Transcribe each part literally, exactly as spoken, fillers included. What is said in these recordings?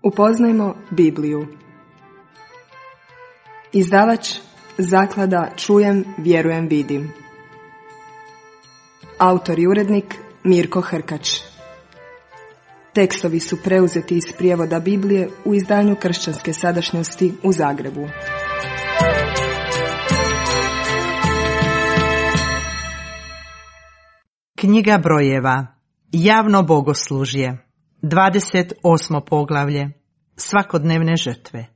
Upoznajmo Bibliju. Izdavač Zaklada Čujem, vjerujem, vidim. Autor i urednik Mirko Hrkač. Tekstovi su preuzeti iz prijevoda Biblije u izdanju Kršćanske sadašnjosti u Zagrebu. Knjiga brojeva. Javno bogoslužje. dvadeset osmo poglavlje. Svakodnevne žrtve.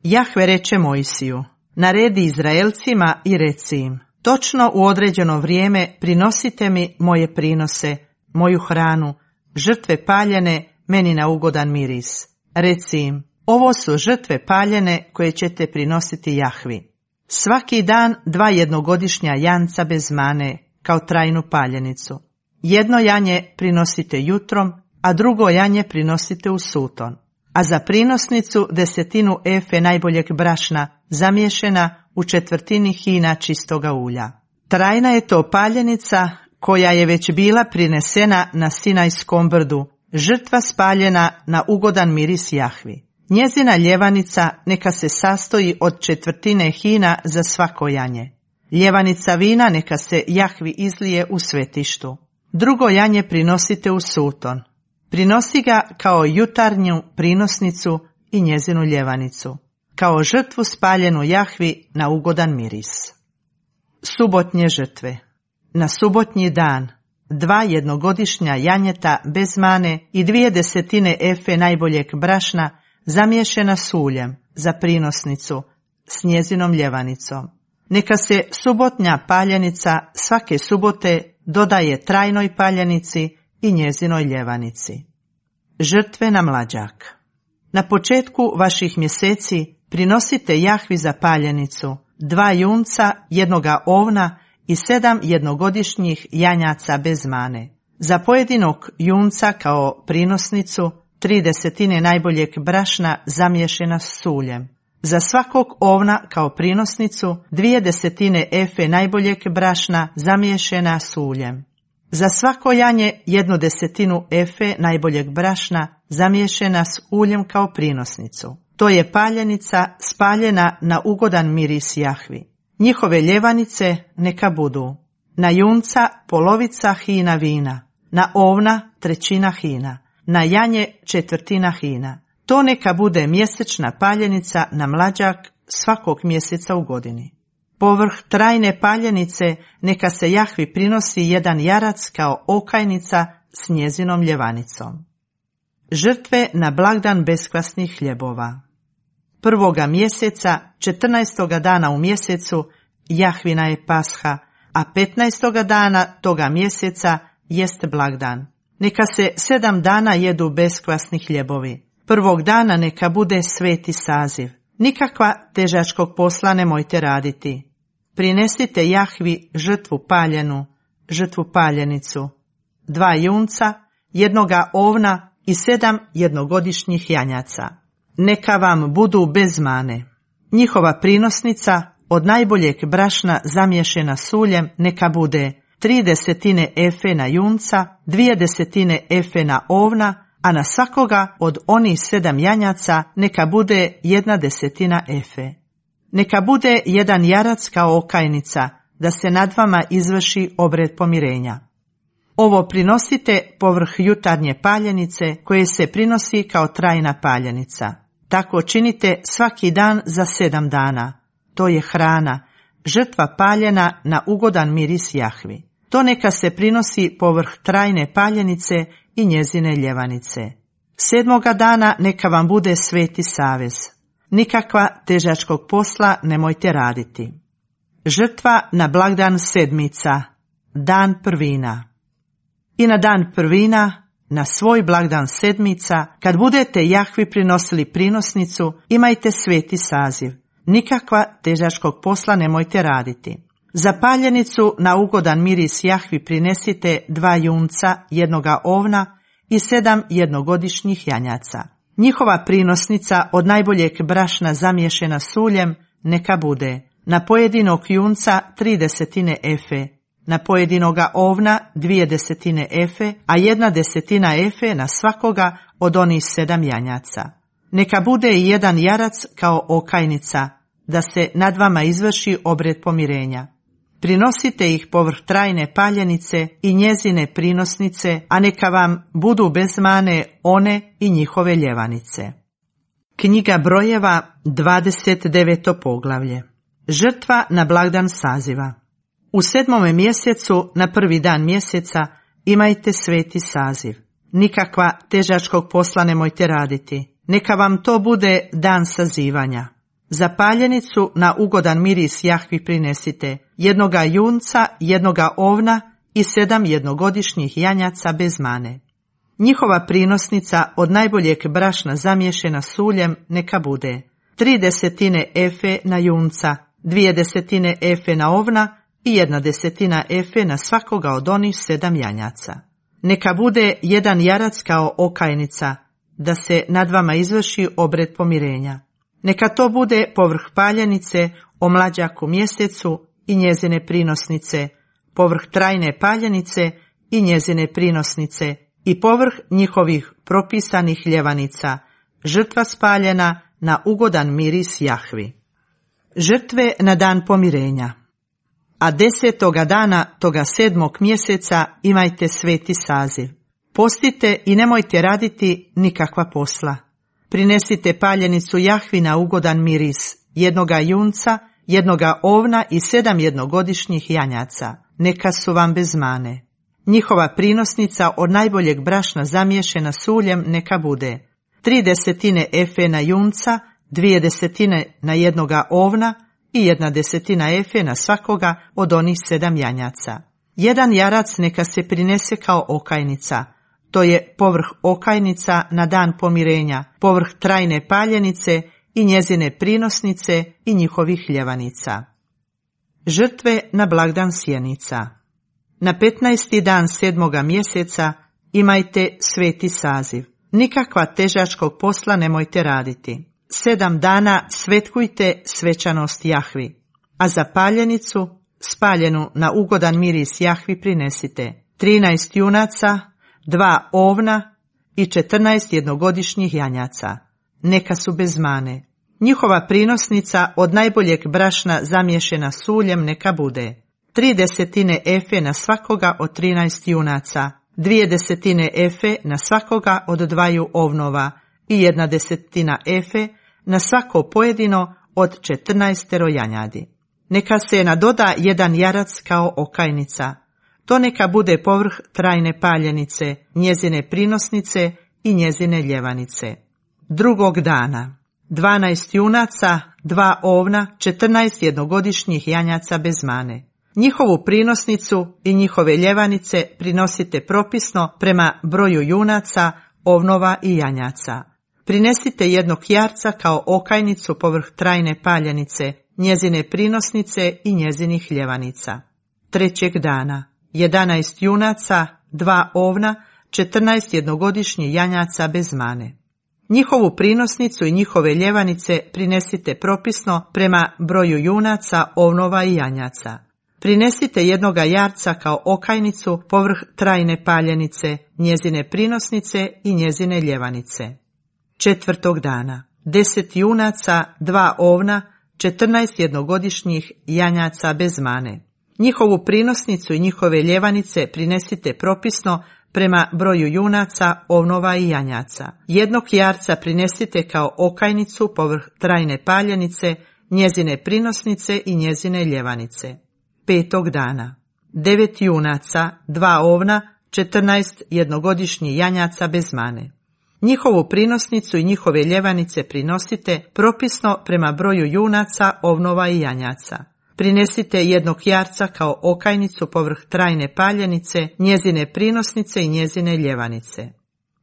Jahve reče Mojsiju: naredi Izraelcima i reci im: točno u određeno vrijeme prinosite mi moje prinose, moju hranu, žrtve paljene, meni na ugodan miris. Reci im: ovo su žrtve paljene koje ćete prinositi Jahvi. Svaki dan dva jednogodišnja janca bez mane, kao trajnu paljenicu. Jedno janje prinosite jutrom, a drugo janje prinosite u suton. A za prinosnicu desetinu efe najboljeg brašna, zamiješena u četvrtini hina čistoga ulja. Trajna je to paljenica koja je već bila prinesena na Sinajskom brdu, žrtva spaljena na ugodan miris Jahvi. Njezina ljevanica neka se sastoji od četvrtine hina za svako janje. Ljevanica vina neka se Jahvi izlije u svetištu. Drugo janje prinosite u suton. Prinosi ga kao jutarnju prinosnicu i njezinu ljevanicu, kao žrtvu spaljenu Jahvi na ugodan miris. Subotnje žrtve. Na subotnji dan dva jednogodišnja janjeta bez mane i dvije desetine efe najboljeg brašna zamiješena s uljem za prinosnicu s njezinom ljevanicom. Neka se subotnja paljenica svake subote dodaje trajnoj paljenici i njezinoj ljevanici. Žrtve na mlađak. Na početku vaših mjeseci prinosite Jahvi za paljenicu dva junca, jednoga ovna i sedam jednogodišnjih janjaca bez mane. Za pojedinog junca kao prinosnicu tri desetine najboljeg brašna zamiješena s uljem. Za svakog ovna kao prinosnicu dvije desetine efe najboljeg brašna zamiješena s uljem. Za svako janje jednu desetinu efe najboljeg brašna zamiješena s uljem kao prinosnicu. To je paljenica spaljena na ugodan miris Jahvi. Njihove ljevanice neka budu: na junca polovica hina vina, na ovna trećina hina, na janje četvrtina hina. To neka bude mjesečna paljenica na mlađak svakog mjeseca u godini. Povrh trajne paljenice neka se Jahvi prinosi jedan jarac kao okajnica s njezinom ljevanicom. Žrtve na blagdan beskvasnih hljebova. Prvoga mjeseca, četrnaestoga dana u mjesecu, Jahvina je Pasha, a petnaestoga dana toga mjeseca jest blagdan. Neka se sedam dana jedu beskvasni hljebovi. Prvog dana neka bude sveti saziv. Nikakva težačkog posla nemojte raditi. Prinesite Jahvi žrtvu paljenu, žrtvu paljenicu, dva junca, jednoga ovna i sedam jednogodišnjih janjaca. Neka vam budu bez mane. Njihova prinosnica od najboljeg brašna zamiješena s uljem neka bude tri desetine efe na junca, dvije desetine efe na ovna, a na svakoga od onih sedam janjaca neka bude jedna desetina efe. Neka bude jedan jarac kao okajnica, da se nad vama izvrši obred pomirenja. Ovo prinosite povrh jutarnje paljenice koje se prinosi kao trajna paljenica. Tako činite svaki dan za sedam dana. To je hrana, žrtva paljena na ugodan miris Jahvi. To neka se prinosi povrh trajne paljenice i njezine ljevanice. Sedmoga dana neka vam bude sveti savez. Nikakva težačkog posla nemojte raditi. Žrtva na blagdan sedmica, dan prvina. I na dan prvina, na svoj blagdan sedmica, kad budete Jahvi prinosili prinosnicu, imajte sveti saziv. Nikakva težačkog posla nemojte raditi. Za paljenicu na ugodan miris Jahvi prinesite dva junca, jednoga ovna i sedam jednogodišnjih janjaca. Njihova prinosnica od najboljeg brašna zamiješena s uljem neka bude: na pojedinog junca tri desetine efe, na pojedinoga ovna dvije desetine efe, a jedna desetina efe na svakoga od onih sedam janjaca. Neka bude i jedan jarac kao okajnica, da se nad vama izvrši obred pomirenja. Prinosite ih povrh trajne paljenice i njezine prinosnice, a neka vam budu bez mane one i njihove ljevanice. Knjiga Brojeva, dvadeset deveto poglavlje. Žrtva na blagdan saziva. U sedmome mjesecu, na prvi dan mjeseca, imajte sveti saziv. Nikakva težačkog posla nemojte raditi. Neka vam to bude dan sazivanja. Za paljenicu na ugodan miris Jahvi prinesite jednoga junca, jednoga ovna i sedam jednogodišnjih janjaca bez mane. Njihova prinosnica od najboljeg brašna zamiješena s uljem neka bude tri desetine efe na junca, dvije desetine efe na ovna i jedna desetina efe na svakoga od onih sedam janjaca. Neka bude jedan jarac kao okajnica, da se nad vama izvrši obred pomirenja. Neka to bude povrh paljenice o mlađaku mjesecu i njezine prinosnice, povrh trajne paljenice i njezine prinosnice i povrh njihovih propisanih ljevanica, žrtva spaljena na ugodan miris Jahvi. Žrtve na dan pomirenja. A desetoga dana toga sedmog mjeseca imajte sveti saziv. Postite i nemojte raditi nikakva posla. Prinesite paljenicu Jahvi na ugodan miris, jednoga junca, jednoga ovna i sedam jednogodišnjih janjaca. Neka su vam bez mane. Njihova prinosnica od najboljeg brašna zamiješena s uljem neka bude tri desetine efe na junca, dvije desetine na jednoga ovna i jedna desetina efe na svakoga od onih sedam janjaca. Jedan jarac neka se prinese kao okajnica. To je povrh okajnica na dan pomirenja, povrh trajne paljenice i njezine prinosnice i njihovih ljevanica. Žrtve na blagdan sjenica. Na petnaesti dan sedmoga mjeseca imajte sveti saziv. Nikakva težačkog posla nemojte raditi. Sedam dana svetkujte svečanost Jahvi, a za paljenicu, spaljenu na ugodan miris Jahvi prinesite trinaest junaca, dva ovna i četrnaest jednogodišnjih janjaca. Neka su bez mane. Njihova prinosnica od najboljeg brašna zamiješena s uljem neka bude tri desetine efe na svakoga od trinaest junaca, dvije desetine efe na svakoga od dvaju ovnova i jedna desetina efe na svako pojedino od četrnaestero janjadi. Neka se nadoda jedan jarac kao okajnica. To neka bude povrh trajne paljenice, njezine prinosnice i njezine ljevanice. Drugog dana, dvanaest junaca, dva ovna, četrnaest jednogodišnjih janjaca bez mane. Njihovu prinosnicu i njihove ljevanice prinosite propisno prema broju junaca, ovnova i janjaca. Prinesite jednog jarca kao okajnicu povrh trajne paljenice, njezine prinosnice i njezinih ljevanica. Trećeg dana, jedanaest junaca, dva ovna, četrnaest jednogodišnjih janjaca bez mane. Njihovu prinosnicu i njihove ljevanice prinesite propisno prema broju junaca, ovnova i janjaca. Prinesite jednoga jarca kao okajnicu povrh trajne paljenice, njezine prinosnice i njezine ljevanice. Četvrtog dana, deset junaca, dva ovna, četrnaest jednogodišnjih janjaca bez mane. Njihovu prinosnicu i njihove ljevanice prinesite propisno prema broju junaca, ovnova i janjaca. Jednog jarca prinesite kao okajnicu povrh trajne paljenice, njezine prinosnice i njezine ljevanice. Petog dana, devet junaca, dva ovna, četrnaest jednogodišnjih janjaca bez mane. Njihovu prinosnicu i njihove ljevanice prinosite propisno prema broju junaca, ovnova i janjaca. Prinesite jednog jarca kao okajnicu povrh trajne paljenice, njezine prinosnice i njezine ljevanice.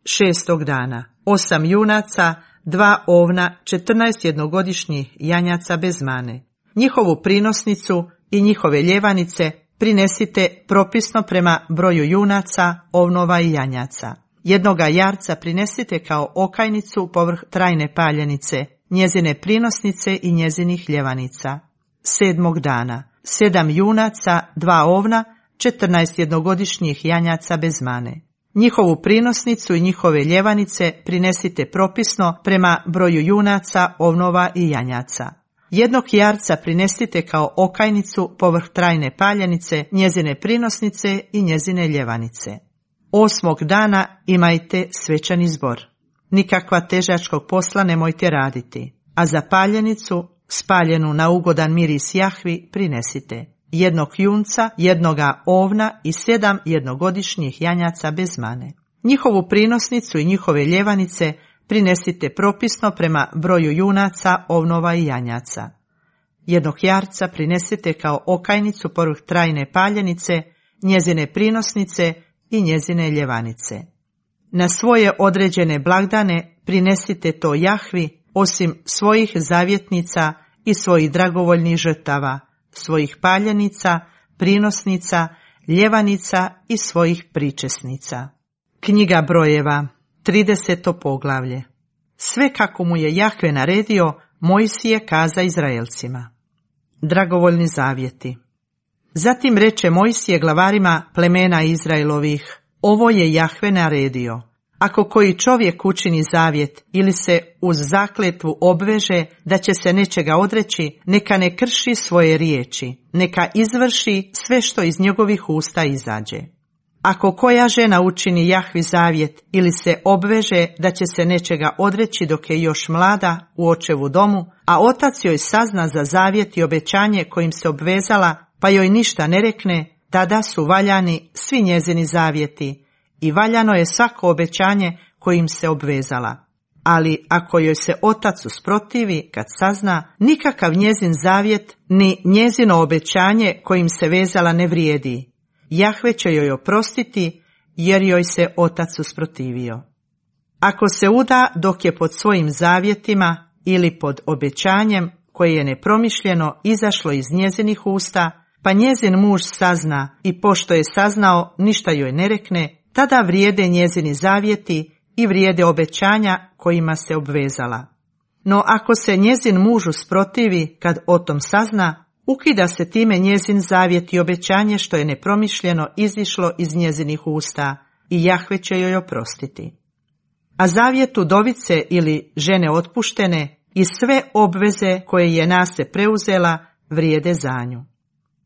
Šestog dana, osam junaca, dva ovna, četrnaest jednogodišnjih janjaca bez mane. Njihovu prinosnicu i njihove ljevanice prinesite propisno prema broju junaca, ovnova i janjaca. Jednoga jarca prinesite kao okajnicu povrh trajne paljenice, njezine prinosnice i njezinih ljevanica. Sedmog dana, sedam junaca, dva ovna, četrnaest jednogodišnjih janjaca bez mane. Njihovu prinosnicu i njihove ljevanice prinesite propisno prema broju junaca, ovnova i janjaca. Jednog jarca prinesite kao okajnicu povrh trajne paljenice, njezine prinosnice i njezine ljevanice. Osmog dana imajte svečani zbor. Nikakva težačkog posla nemojte raditi, a za paljenicu, spaljenu na ugodan miris Jahvi, prinesite jednog junca, jednoga ovna i sedam jednogodišnjih janjaca bez mane. Njihovu prinosnicu i njihove ljevanice prinesite propisno prema broju junaca, ovnova i janjaca. Jednog jarca prinesite kao okajnicu povrh trajne paljenice, njezine prinosnice i njezine ljevanice. Na svoje određene blagdane prinesite to Jahvi, osim svojih zavjetnica i svojih dragovoljnih žrtava, svojih paljenica, prinosnica, ljevanica i svojih pričesnica. Knjiga brojeva, trideseto poglavlje. Sve kako mu je Jahve naredio, Mojsije kaza Izraelcima. Dragovoljni zavjeti. Zatim reče Mojsije glavarima plemena Izraelovih: ovo je Jahve naredio. Ako koji čovjek učini zavjet ili se uz zakletvu obveže da će se nečega odreći, neka ne krši svoje riječi, neka izvrši sve što iz njegovih usta izađe. Ako koja žena učini Jahvi zavjet ili se obveže da će se nečega odreći dok je još mlada u očevu domu, a otac joj sazna za zavjet i obećanje kojim se obvezala, pa joj ništa ne rekne, tada su valjani svi njezini zavjeti i valjano je svako obećanje kojim se obvezala. Ali ako joj se otac usprotivi kad sazna, nikakav njezin zavjet ni njezino obećanje kojim se vezala ne vrijedi. Jahve će joj oprostiti jer joj se otac usprotivio. Ako se uda dok je pod svojim zavjetima ili pod obećanjem koje je nepromišljeno izašlo iz njezinih usta, pa njezin muž sazna i pošto je saznao ništa joj ne rekne, tada vrijede njezini zavjeti i vrijede obećanja kojima se obvezala. No ako se njezin muž usprotivi kad o tom sazna, ukida se time njezin zavjet i obećanje što je nepromišljeno izišlo iz njezinih usta i Jahve će joj oprostiti. A zavjet udovice ili žene otpuštene i sve obveze koje je na se preuzela vrijede za nju.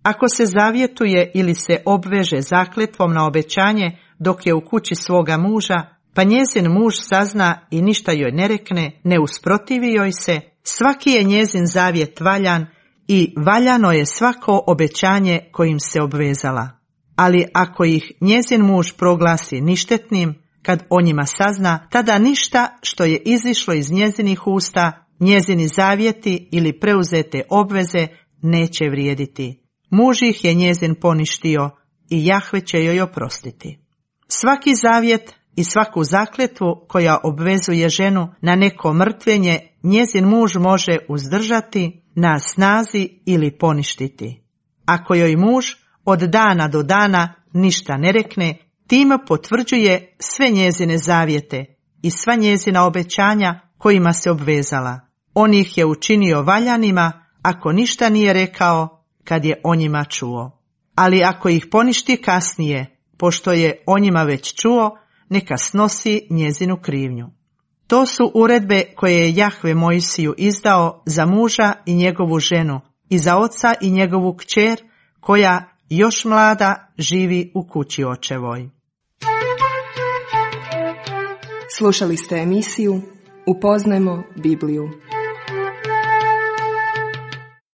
Ako se zavjetuje ili se obveže zakletvom na obećanje dok je u kući svoga muža, pa njezin muž sazna i ništa joj ne rekne, ne usprotivi joj se, svaki je njezin zavjet valjan i valjano je svako obećanje kojim se obvezala. Ali ako ih njezin muž proglasi ništetnim, kad o njima sazna, tada ništa što je izišlo iz njezinih usta, njezini zavjeti ili preuzete obveze neće vrijediti. Muž ih je njezin poništio i Jahve će joj oprostiti. Svaki zavjet i svaku zakletvu koja obvezuje ženu na neko mrtvenje, njezin muž može uzdržati, na snazi ili poništiti. Ako joj muž od dana do dana ništa ne rekne, time potvrđuje sve njezine zavjete i sva njezina obećanja kojima se obvezala. On ih je učinio valjanima ako ništa nije rekao kad je o njima čuo. Ali ako ih poništi kasnije, pošto je o njima već čuo, neka snosi njezinu krivnju. To su uredbe koje je Jahve Mojsiju izdao za muža i njegovu ženu i za oca i njegovu kćer koja još mlada živi u kući očevoj. Slušali ste emisiju Upoznajmo Bibliju.